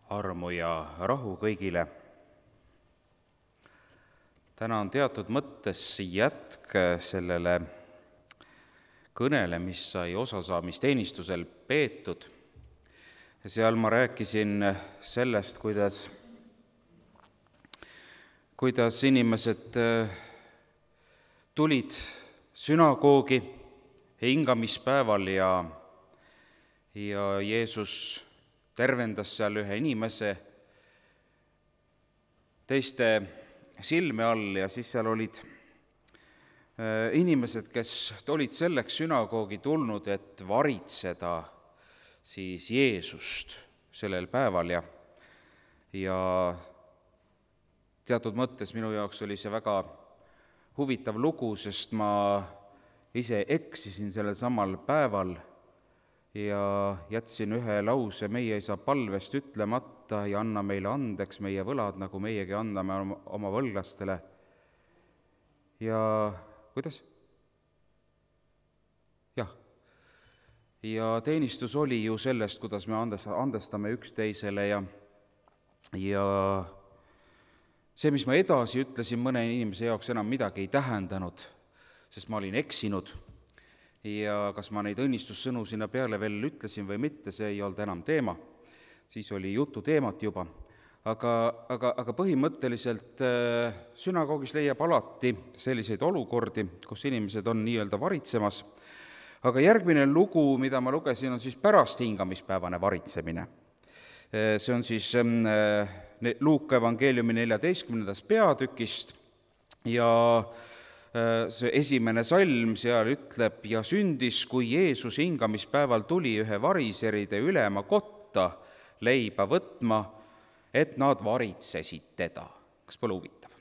Armu ja rahu kõigile. Täna on teatud mõttes jätk sellele kõnele, mis sai osasaamisteenistusel peetud. Ja seal ma rääkisin sellest, kuidas inimesed tulid sünagoogi hingamispäeval ja Jeesus tervendas seal ühe inimese teiste silme all ja siis seal olid inimesed, kes olid selleks sünagoogi tulnud, et varitseda siis Jeesust sellel päeval ja teatud mõttes minu jaoks oli see väga huvitav lugu, sest ma ise eksisin sellel samal päeval ja jätsin ühe lause meie Isa palvest ütlemata ja anna meile andeks meie võlad, nagu meiegi anname oma võlglastele. Ja kuidas? Jah. Ja teenistus oli ju sellest, kuidas me andestame üksteisele ja see, mis ma edasi ütlesin, mõne inimese jaoks enam midagi ei tähendanud, sest ma olin eksinud. Ja kas ma neid õnnistussõnu sinna peale veel ütlesin või mitte, see ei olnud enam teema. Siis oli jutu teemat juba. Aga põhimõtteliselt sünagoogis leiab alati selliseid olukordi, kus inimesed on nii-öelda varitsemas. Aga järgmine lugu, mida ma lugesin, on siis pärast hingamispäevane varitsemine. See on siis Luuka evangeeliumi 14. peatükist ja see esimene salm seal ütleb, ja sündis, kui Jeesus hingamispäeval tuli ühe variseride ülema kotta leiba võtma, et nad varitsesid teda. Kas pole huvitav?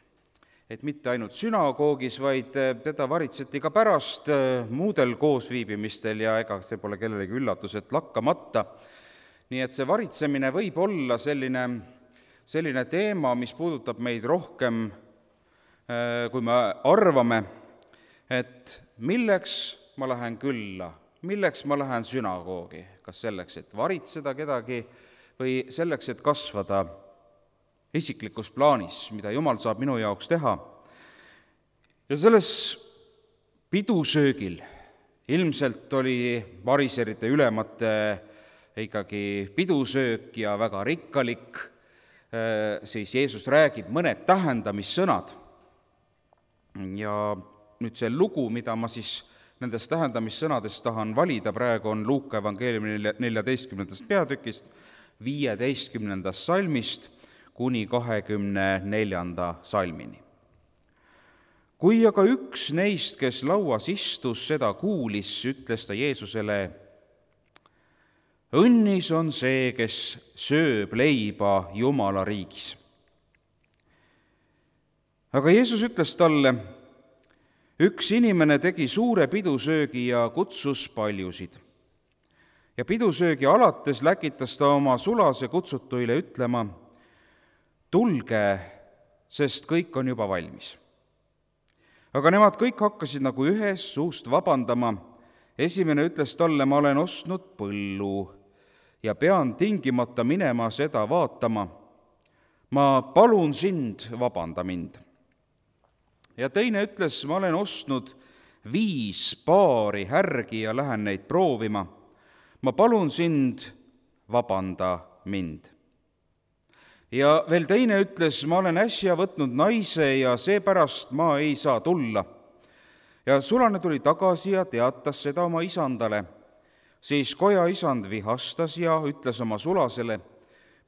Et mitte ainult sünagoogis, vaid teda varitseti ka pärast muudel koosviibimistel ja ega see pole kellelegi üllatus, et lakkamata. Nii et see varitsemine võib olla selline teema, mis puudutab meid rohkem, kui me arvame, et milleks ma lähen külla, milleks ma lähen sünagoogi, kas selleks, et varitseda kedagi või selleks, et kasvada isiklikus plaanis, mida Jumal saab minu jaoks teha. Ja selles pidusöögil ilmselt oli variserite ülemate ikkagi pidusöök ja väga rikkalik, siis Jeesus räägib mõned tähendamissõnad. Ja nüüd see lugu, mida ma siis nendest tähendamissõnadest tahan valida praegu, on Luuka evangeeliumi 14. peatükist 15. salmist kuni 24. salmini. Kui aga üks neist, kes lauas istus, seda kuulis, ütles ta Jeesusele: õnnis on see, kes sööb leiba Jumala riigis. Aga Jeesus ütles talle: üks inimene tegi suure pidusöögi ja kutsus paljusid. Ja pidusöögi alates läkitas ta oma sulase kutsutuile ütlema: tulge, sest kõik on juba valmis. Aga nemad kõik hakkasid nagu ühes suust vabandama. Esimene ütles talle: ma olen ostnud põllu ja pean tingimata minema seda vaatama. Ma palun sind, vabanda mind. Ja teine ütles: ma olen ostnud 5 paari härgi ja lähen neid proovima. Ma palun sind, vabanda mind. Ja veel teine ütles: ma olen äsja võtnud naise ja seepärast ma ei saa tulla. Ja sulane tuli tagasi ja teatas seda oma isandale. Siis koja isand vihastas ja ütles oma sulasele: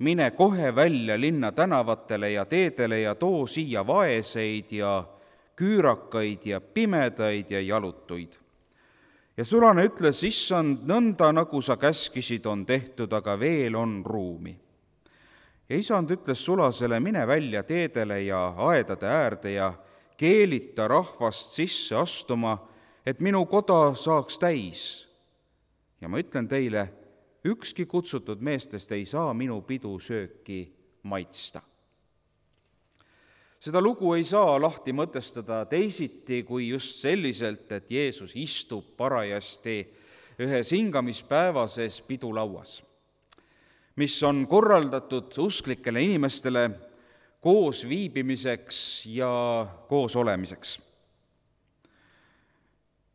mine kohe välja linna tänavatele ja teedele ja too siia vaeseid ja küürakaid ja pimedaid ja jalutuid. Ja sulane ütles: issand, nõnda nagu sa käskisid, on tehtud, aga veel on ruumi. Ja isand ütles sulasele: mine välja teedele ja aedade äärde ja keelita rahvast sisse astuma, et minu koda saaks täis. Ja ma ütlen teile, ükski kutsutud meestest ei saa minu pidusööki maitsta. Seda lugu ei saa lahti mõtestada teisiti kui just selliselt, et Jeesus istub parajasti ühes hingamispäevases pidulauas. mis on korraldatud usklikele inimestele koos viibimiseks ja koos olemiseks.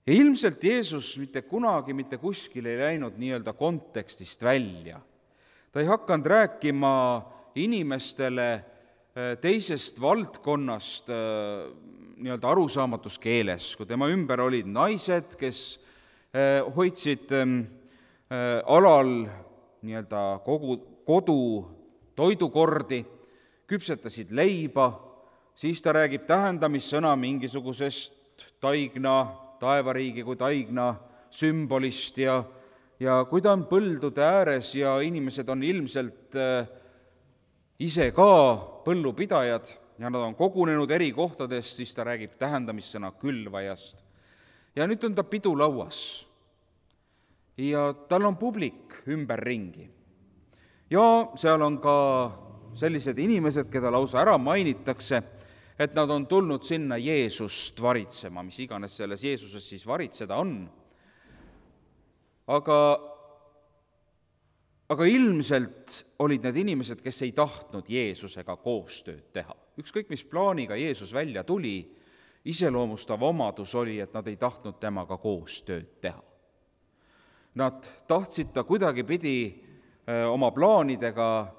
Ja ilmselt Jeesus mitte kunagi mitte kuskil ei läinud nii-öelda kontekstist välja. Ta ei hakanud rääkima inimestele teisest valdkonnast nii-öelda arusaamatus keeles, kui tema ümber olid naised, kes hoidsid alal nii-öelda kogu kodu toidukordi, küpsetasid leiba, siis ta räägib tähendamissõna mingisugusest taevariigi kui taigna sümbolist ja kui ta on põldude ääres ja inimesed on ilmselt ise ka põllupidajad ja nad on kogunenud eri kohtadest, siis ta räägib tähendamissõna külvajast. Ja nüüd on ta pidulauas ja tal on publik ümberringi. Ja seal on ka sellised inimesed, keda lausa ära mainitakse, et nad on tulnud sinna Jeesust varitsema, mis iganes selles Jeesuses siis varitseda on. Aga ilmselt olid need inimesed, kes ei tahtnud Jeesusega koostööd teha. Ükskõik, mis plaaniga Jeesus välja tuli, iseloomustav omadus oli, et nad ei tahtnud temaga koostööd teha. Nad tahtsid ta kuidagipidi oma plaanidega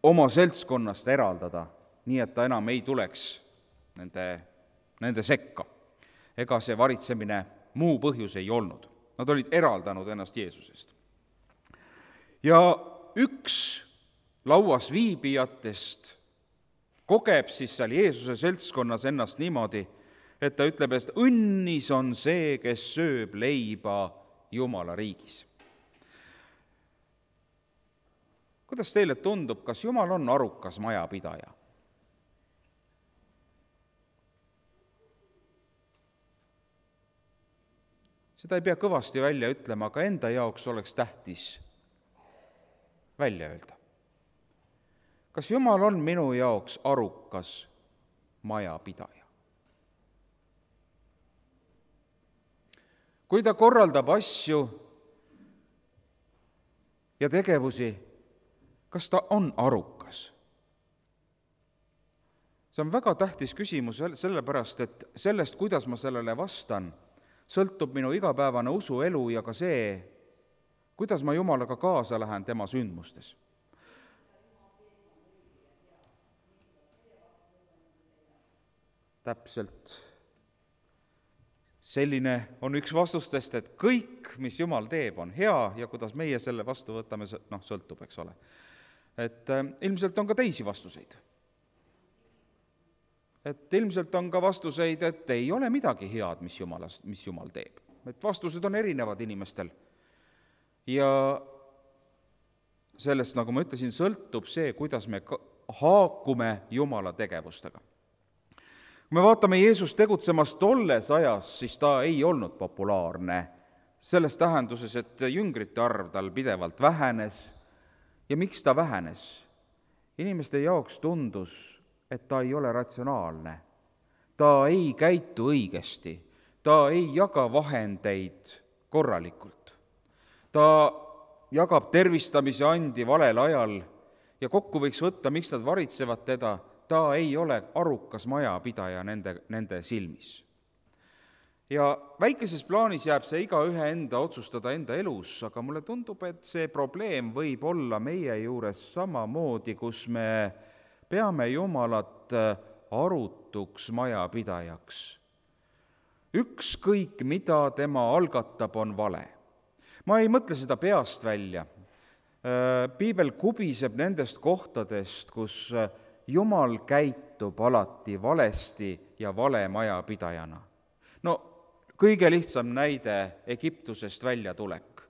oma seltskonnast eraldada, nii et ta enam ei tuleks nende sekka. Ega see varitsemine muu põhjus ei olnud. Nad olid eraldanud ennast Jeesusest. Ja üks lauas viibijatest kogeb siis seal Jeesuse seltskonnas ennast niimoodi, et ta ütleb, et õnnis on see, kes sööb leiba Jumala riigis. Kuidas teile tundub, kas Jumal on arukas majapidaja? Seda ei pea kõvasti välja ütlema, aga enda jaoks oleks tähtis välja öelda. Kas Jumal on minu jaoks arukas majapidaja? Kui ta korraldab asju ja tegevusi, kas ta on arukas? See on väga tähtis küsimus sellepärast, et sellest, kuidas ma sellele vastan, sõltub minu igapäevane usuelu ja ka see, kuidas ma Jumalaga kaasa lähen tema sündmustes. Täpselt. Selline on üks vastustest, et kõik, mis Jumal teeb, on hea ja kuidas meie selle vastu võtame, sõltub, eks ole. Et ilmselt on ka teisi vastuseid. Et ilmselt on ka vastuseid, et ei ole midagi head, mis Jumal teeb. Et vastused on erinevad inimestel. Ja sellest, nagu ma ütlesin, sõltub see, kuidas me haakume Jumala tegevustega. Kui me vaatame Jeesus tegutsemas tolles ajas, siis ta ei olnud populaarne. Selles tähenduses, et jüngrite arv tal pidevalt vähenes. Ja miks ta vähenes? Inimeste jaoks tundus, et ta ei ole ratsionaalne. Ta ei käitu õigesti. Ta ei jaga vahendeid korralikult. Ta jagab tervistamise andi valel ajal ja kokku võiks võtta, miks nad varitsevad teda. Ta ei ole arukas majapidaja nende silmis. Ja väikeses plaanis jääb see igaühe enda otsustada enda elus, aga mulle tundub, et see probleem võib olla meie juures samamoodi, kus me peame Jumalat arutuks majapidajaks. Ükskõik, mida tema algatab, on vale. Ma ei mõtle seda peast välja. Piibel kubiseb nendest kohtadest, kus Jumal käitub alati valesti ja vale majapidajana. No, kõige lihtsam näide Egiptusest väljatulek.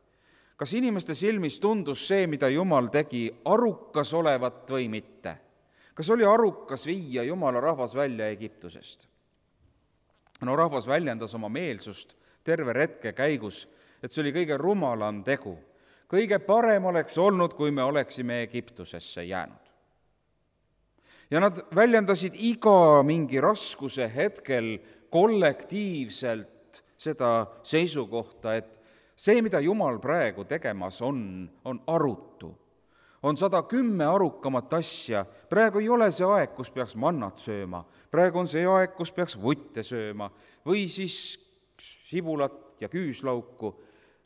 Kas inimeste silmis tundus see, mida Jumal tegi, arukas olevat või mitte? Kas oli arukas viia Jumala rahvas välja Egiptusest? No rahvas väljendas oma meelsust terve retke käigus, et see oli kõige rumalam tegu. Kõige parem oleks olnud, kui me oleksime Egiptusesse jäänud. Ja nad väljendasid iga mingi raskuse hetkel kollektiivselt seda seisukohta, et see, mida Jumal praegu tegemas on arutu. on 110 arukamat asja, praegu ei ole see aeg, kus peaks mannat sööma, praegu on see aeg, kus peaks vutte sööma või siis sibulat ja küüslauku.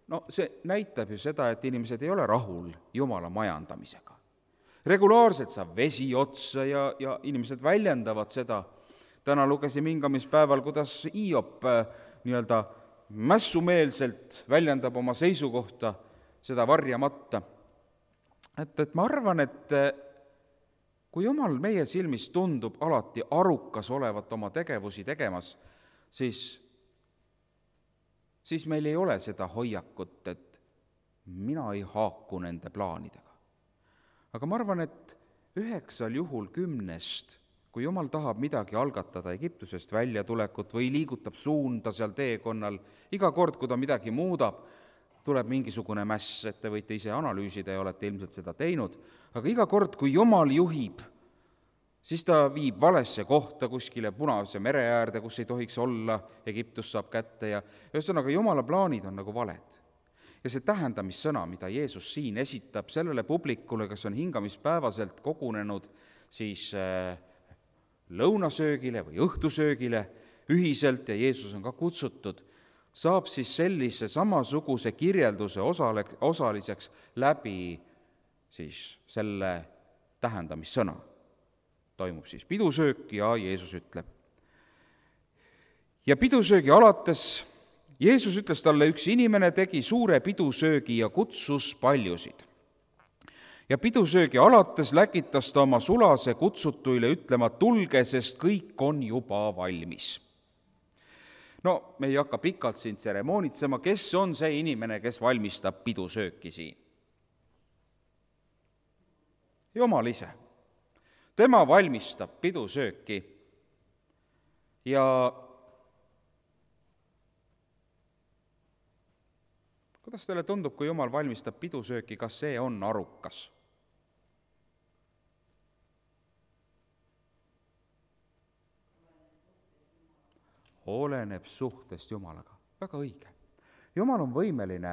No see näitab ju seda, et inimesed ei ole rahul Jumala majandamisega. Regulaarselt saab vesi otsa ja inimesed väljendavad seda. Täna lugesime hingamispäeval, kuidas Hiop nii-öelda mässumeelselt väljendab oma seisukohta, seda varjamata. Et ma arvan, et kui Jumal meie silmis tundub alati arukas olevat oma tegevusi tegemas, siis meil ei ole seda hoiakut, et mina ei haaku nende plaanidega. Aga ma arvan, et 9 juhul 10, kui Jumal tahab midagi algatada, Egiptusest väljatulekut või liigutab suunda seal teekonnal, iga kord, kui ta midagi muudab, tuleb mingisugune mäss, et te võite ise analüüsida ja olete ilmselt seda teinud, aga iga kord, kui Jumal juhib, siis ta viib valesse kohta kuskile Punase mere äärde, kus ei tohiks olla, Egiptus saab kätte ja ühesõnaga Jumala plaanid on nagu valed. Ja see tähendamissõna, mida Jeesus siin esitab sellele publikule, kes on hingamispäevaselt kogunenud siis lõunasöögile või õhtusöögile ühiselt ja Jeesus on ka kutsutud, saab siis sellise samasuguse kirjelduse osaliseks läbi siis selle tähendamissõna. Toimub siis pidusöök ja Jeesus ütleb. Ja pidusöögi alates Jeesus ütles talle, üks inimene tegi suure pidusöögi ja kutsus paljusid. Ja pidusöögi alates läkitas ta oma sulase kutsutuile ütlema, tulge, sest kõik on juba valmis. No, me ei hakka pikalt siin tseremoonitsema, kes on see inimene, kes valmistab pidusööki siin? Jumal ise. Tema valmistab pidusööki ja kuidas teile tundub, kui Jumal valmistab pidusööki, kas see on arukas? Oleneb suhtest Jumalaga. Väga õige. Jumal on võimeline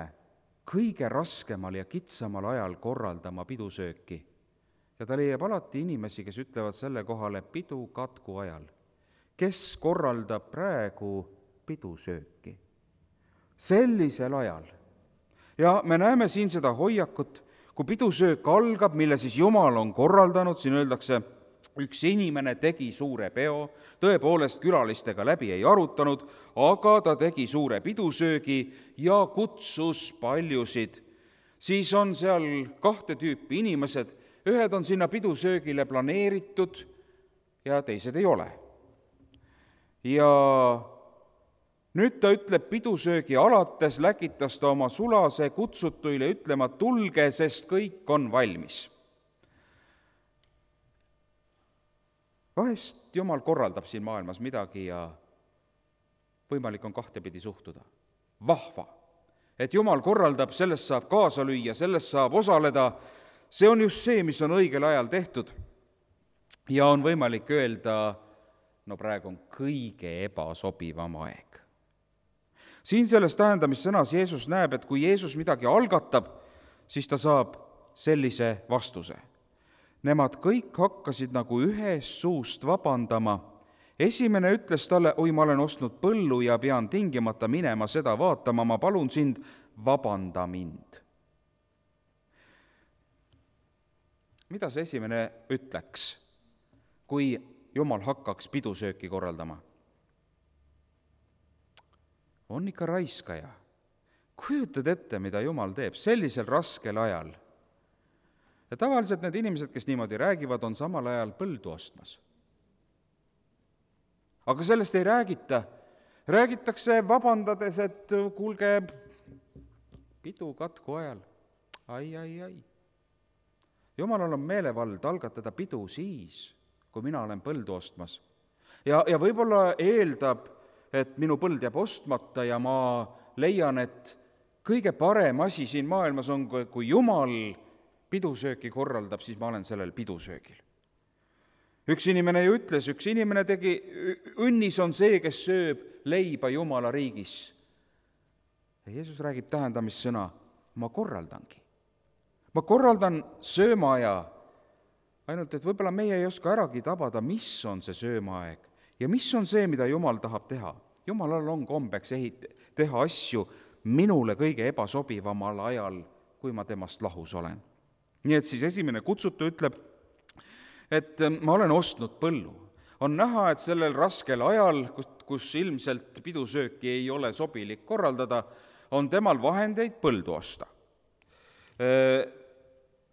kõige raskemal ja kitsamal ajal korraldama pidusööki. Ja ta leiab alati inimesi, kes ütlevad selle kohale pidu katku ajal. Kes korraldab praegu pidusööki? Sellisel ajal. Ja me näeme siin seda hoiakut, kui pidusöök algab, mille siis Jumal on korraldanud, siin öeldakse, üks inimene tegi suure peo, tõepoolest külalistega läbi ei arutanud, aga ta tegi suure pidusöögi ja kutsus paljusid. Siis on seal 2 tüüpi inimesed, ühed on sinna pidusöögile planeeritud ja teised ei ole. Ja nüüd ta ütleb pidusöögi alates, läkitas ta oma sulase kutsutuile ütlema, tulge, sest kõik on valmis. Vahest Jumal korraldab siin maailmas midagi ja võimalik on 2 pidi suhtuda. Vahva, et Jumal korraldab, sellest saab kaasa lüüa, sellest saab osaleda, see on just see, mis on õigel ajal tehtud. Ja on võimalik öelda, no praegu on kõige ebasobivam aeg. Siin selles tähendamissõnas Jeesus näeb, et kui Jeesus midagi algatab, siis ta saab sellise vastuse. Nemad kõik hakkasid nagu ühest suust vabandama. Esimene ütles talle, oi, ma olen ostnud põllu ja pean tingimata minema seda vaatama, ma palun sind, vabanda mind. Mida see esimene ütleks, kui Jumal hakkaks pidusööki korraldama? On ikka raiskaja. Kujutad ette, mida Jumal teeb sellisel raskel ajal. Ja tavaliselt need inimesed, kes niimoodi räägivad, on samal ajal põldu ostmas. Aga sellest ei räägita. Räägitakse vabandades, et kuulge, pidu katku ajal. Ai. Jumalal on meelevald algatada pidu siis, kui mina olen põldu ostmas. Ja võib-olla eeldab, et minu põld jääb ostmata ja ma leian, et kõige parem asi siin maailmas on, kui Jumal pidusööki korraldab, siis ma olen sellel pidusöögil. Üks inimene ju ütles, üks inimene tegi, õnnis on see, kes sööb leiba Jumala riigis. Ja Jeesus räägib tähendamissõna, ma korraldangi. ma korraldan söömaaja, ainult et võib-olla meie ei oska äragi tabada, mis on see söömaaeg ja mis on see, mida Jumal tahab teha. Jumalal on kombeks teha asju minule kõige ebasobivamal ajal, kui ma temast lahus olen. Nii et siis esimene kutsutu ütleb, et ma olen ostnud põllu. On näha, et sellel raskel ajal, kus ilmselt pidusööki ei ole sobilik korraldada, on temal vahendeid põldu osta.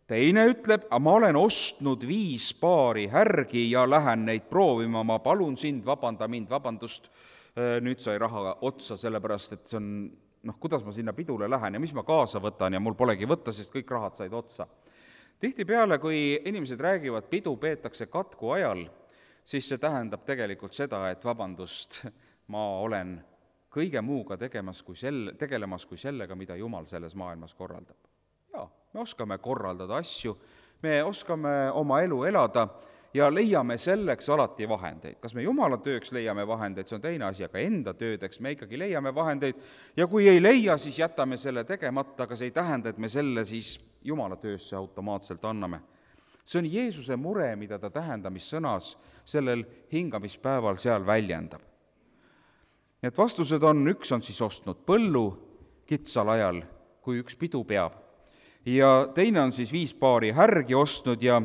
Teine ütleb, ma olen ostnud 5 paari härgi ja lähen neid proovima, ma palun sind, vabanda mind, vabandust, nüüd sai raha otsa, sellepärast et see on, kuidas ma sinna pidule lähen ja mis ma kaasa võtan ja mul polegi võtta, sest kõik rahad said otsa. Tihtipeale, kui inimesed räägivad, pidu peetakse katku ajal, siis see tähendab tegelikult seda, et vabandust, ma olen kõige muuga tegelemas kui sellega, mida Jumal selles maailmas korraldab. Jaa, me oskame korraldada asju, me oskame oma elu elada ja leiame selleks alati vahendeid. Kas me Jumala tööks leiame vahendeid, see on teine asi, aga enda töödeks me ikkagi leiame vahendeid ja kui ei leia, siis jätame selle tegemata, aga see ei tähenda, et me selle siis Jumala töösse automaatselt anname. See on Jeesuse mure, mida ta tähendamissõnas sellel hingamispäeval seal väljendab. Et vastused on, üks on siis ostnud põllu kitsal ajal, kui üks pidu peab, ja teine on siis 5 paari härgi ostnud ja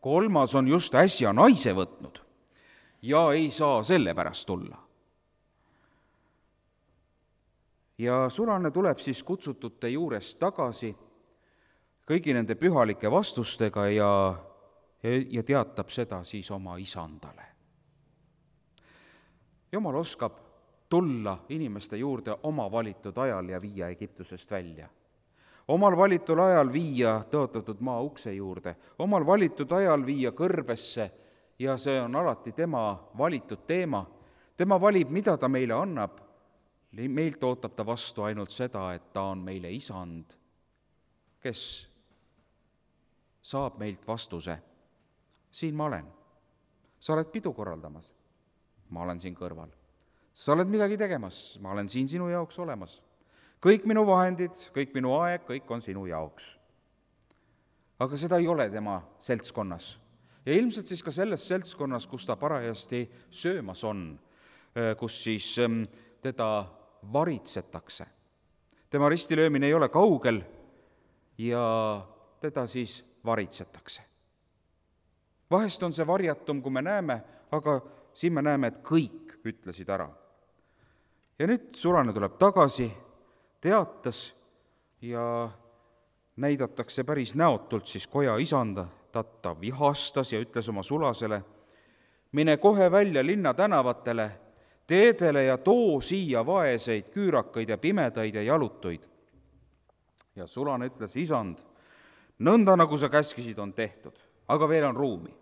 kolmas on just äsja naise võtnud ja ei saa selle pärast tulla. Ja sulane tuleb siis kutsutute juurest tagasi kõigi nende pühalike vastustega ja teatab seda siis oma isandale. Jumal oskab tulla inimeste juurde oma valitud ajal ja viia Egiptusest välja. Omal valitud ajal viia tõotatud maa ukse juurde, omal valitud ajal viia kõrbesse ja see on alati tema valitud teema. Tema valib, mida ta meile annab. Meilt ootab ta vastu ainult seda, et ta on meile isand, kes saab meilt vastuse. Siin ma olen. Sa oled pidu korraldamas. Ma olen siin kõrval. Sa oled midagi tegemas. Ma olen siin sinu jaoks olemas. Kõik minu vahendid, kõik minu aeg, kõik on sinu jaoks. Aga seda ei ole tema seltskonnas. Ja ilmselt siis ka selles seltskonnas, kus ta parajasti söömas on, kus siis teda varitsetakse. Tema ristilöömine ei ole kaugel ja teda siis varitsetakse. Vahest on see varjatum, kui me näeme, aga siin me näeme, et kõik ütlesid ära. Ja nüüd sulane tuleb tagasi, teatas ja näidatakse päris näotult siis koja isanda, ta vihastas ja ütles oma sulasele, mine kohe välja linna tänavatele, teedele ja too siia vaeseid, küürakaid ja pimedaid ja jalutuid. Ja sulane ütles, isand, nõnda nagu sa käskisid, on tehtud, aga veel on ruumi.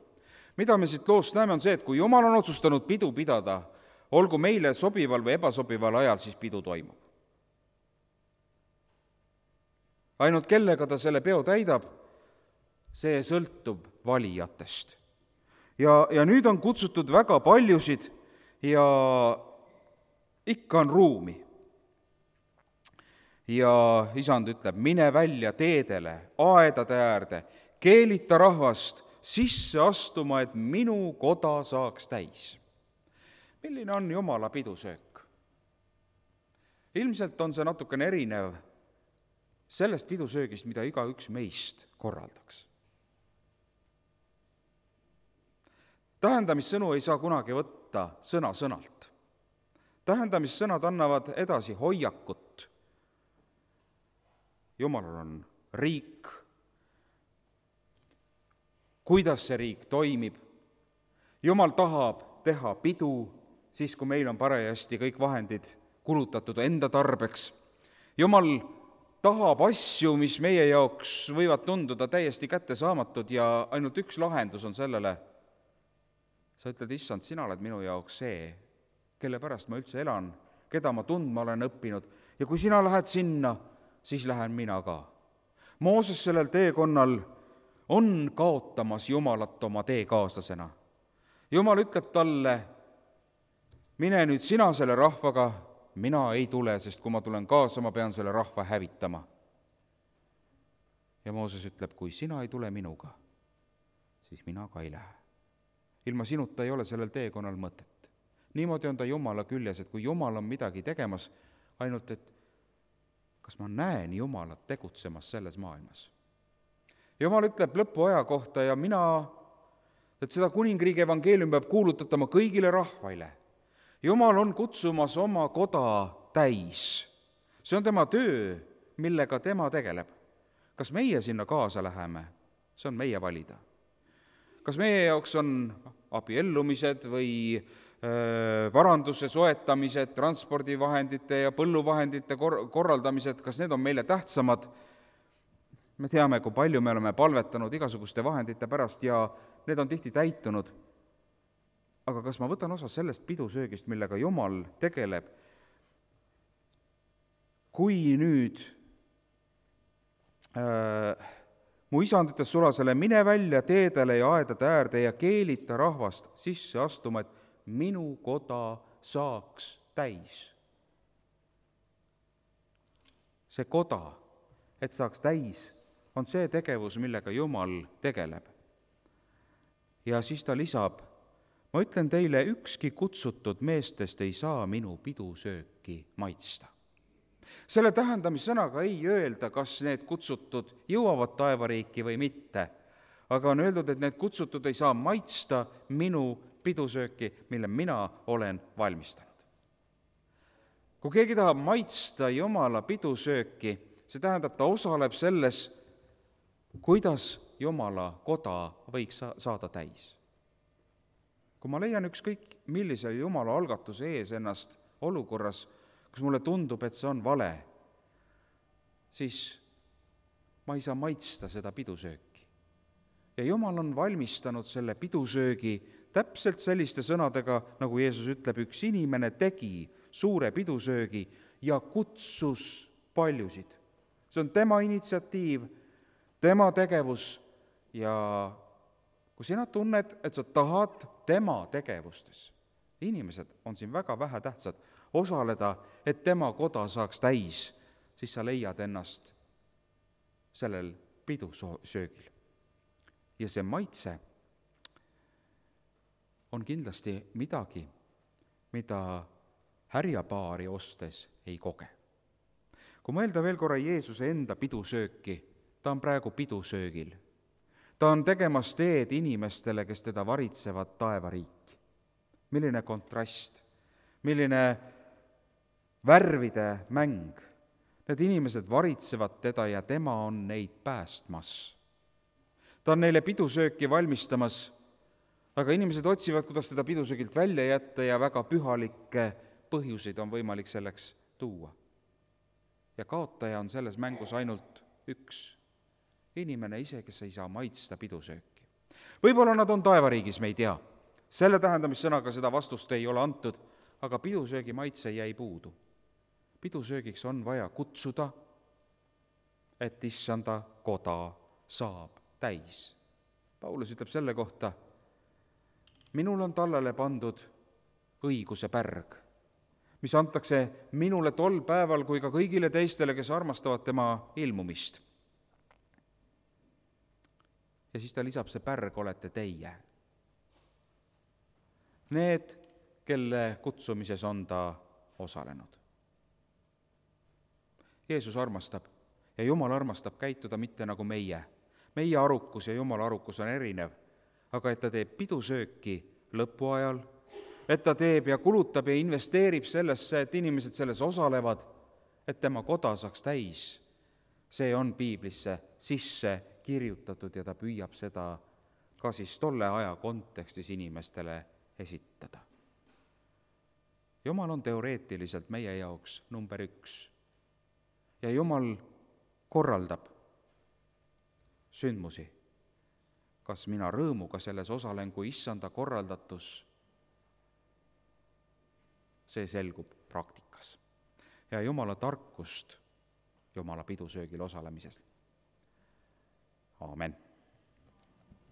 Mida me siit loost näeme, on see, et kui Jumal on otsustanud pidu pidada, olgu meile sobival või ebasobival ajal, siis pidu toimub. Ainult kellega ta selle peo täidab, see sõltub valijatest. Ja nüüd on kutsutud väga paljusid ja ikka on ruumi. Ja isand ütleb, mine välja teedele, aedade äärde, keelita rahvast sisse astuma, et minu koda saaks täis. Milline on Jumala pidusöök? Ilmselt on see natukene erinev sellest pidusöögist, mida igaüks meist korraldaks. Tähendamissõnu ei saa kunagi võtta sõna-sõnalt. Tähendamissõnad annavad edasi hoiakut. Jumalal on riik, kuidas see riik toimib. Jumal tahab teha pidu, siis kui meil on parajasti kõik vahendid kulutatud enda tarbeks. Jumal tahab asju, mis meie jaoks võivad tunduda täiesti kättesaamatud ja ainult üks lahendus on sellele. Sa ütled, issand, sina oled minu jaoks see, kelle pärast ma üldse elan, keda ma tundma olen õppinud ja kui sina lähed sinna, siis lähen mina ka. Mooses sellel teekonnal on kaotamas Jumalat oma teekaaslasena. Jumal ütleb talle, mine nüüd sina selle rahvaga, mina ei tule, sest kui ma tulen kaasa, ma pean selle rahva hävitama. ja Mooses ütleb, kui sina ei tule minuga, siis mina ka ei lähe. Ilma sinuta ei ole sellel teekonnal mõtet. Niimoodi on ta Jumala küljes, et kui Jumal on midagi tegemas, ainult et kas ma näen Jumalat tegutsemas selles maailmas. Jumal ütleb lõpuaja kohta ja et seda kuningriigi evangeelium peab kuulutatama kõigile rahvaile. Jumal on kutsumas oma koda täis. See on tema töö, millega tema tegeleb. Kas meie sinna kaasa läheme? See on meie valida. Kas meie jaoks on abiellumised või varanduse soetamised, transpordivahendite ja põlluvahendite korraldamised, kas need on meile tähtsamad? Me teame, kui palju me oleme palvetanud igasuguste vahendite pärast ja need on tihti täitunud. Aga kas ma võtan osa sellest pidusöögist, millega Jumal tegeleb? Kui nüüd mu isand ütles sulasele, mine välja teedele ja aedade äärde ja keelita rahvast sisse astuma, et minu koda saaks täis. See koda, et saaks täis, on see tegevus, millega Jumal tegeleb. Ja siis ta lisab, ma ütlen teile, ükski kutsutud meestest ei saa minu pidusööki maitsta. Selle tähendamissõnaga ei öelda, kas need kutsutud jõuavad taevariiki või mitte, aga on öeldud, et need kutsutud ei saa maitsta minu pidusööki, mille mina olen valmistanud. Kui keegi tahab maitsta Jumala pidusööki, see tähendab, ta osaleb selles, kuidas Jumala koda võiks saada täis. Kui ma leian ükskõik millise Jumala algatuse ees ennast olukorras, kus mulle tundub, et see on vale, siis ma ei saa maitsta seda pidusööki. Ja Jumal on valmistanud selle pidusöögi täpselt selliste sõnadega, nagu Jeesus ütleb, üks inimene tegi suure pidusöögi ja kutsus paljusid. See on tema initsiatiiv, tema tegevus ja kui sina tunned, et sa tahad tema tegevustes, inimesed on siin väga vähe tähtsad, osaleda, et tema koda saaks täis, siis sa leiad ennast sellel pidusöögil. Ja see maitse on kindlasti midagi, mida härjapaari ostes ei koge. Kui mõelda veel korra Jeesuse enda pidusööki, ta on praegu pidusöögil. Ta on tegemas teed inimestele, kes teda varitsevad taevariiki. Milline kontrast, milline värvide mäng. Need inimesed varitsevad teda ja tema on neid päästmas. Ta on neile pidusööki valmistamas, aga inimesed otsivad, kuidas teda pidusöögilt välja jätta ja väga pühalikke põhjuseid on võimalik selleks tuua. Ja kaotaja on selles mängus ainult üks. Inimene ise, kes ei saa maitsta pidusööki. Võib-olla nad on taevariigis, me ei tea. Selle tähendamissõnaga seda vastust ei ole antud, aga pidusöögi maitse jäi puudu. Pidusöögiks on vaja kutsuda, et issanda koda saab täis. Paulus ütleb selle kohta, minul on tallele pandud õiguse pärg, mis antakse minule tol päeval kui ka kõigile teistele, kes armastavad tema ilmumist. Ja siis ta lisab, see pärg olete teie. Need, kelle kutsumises on ta osalenud. Jeesus armastab ja Jumal armastab käituda mitte nagu meie. Meie arukus ja Jumala arukus on erinev, aga et ta teeb pidusööki lõpuajal, et ta teeb ja kulutab ja investeerib sellesse, et inimesed selles osalevad, et tema koda saaks täis. See on piiblisse sisse kirjutatud ja ta püüab seda ka siis tolle aja kontekstis inimestele esitada. Jumal on teoreetiliselt meie jaoks number 1 ja Jumal korraldab sündmusi. Kas mina rõõmuga selles osalen, kui issanda korraldatus, see selgub praktikas. Ja Jumala tarkust Jumala pidusöögil osalemises. Aamen.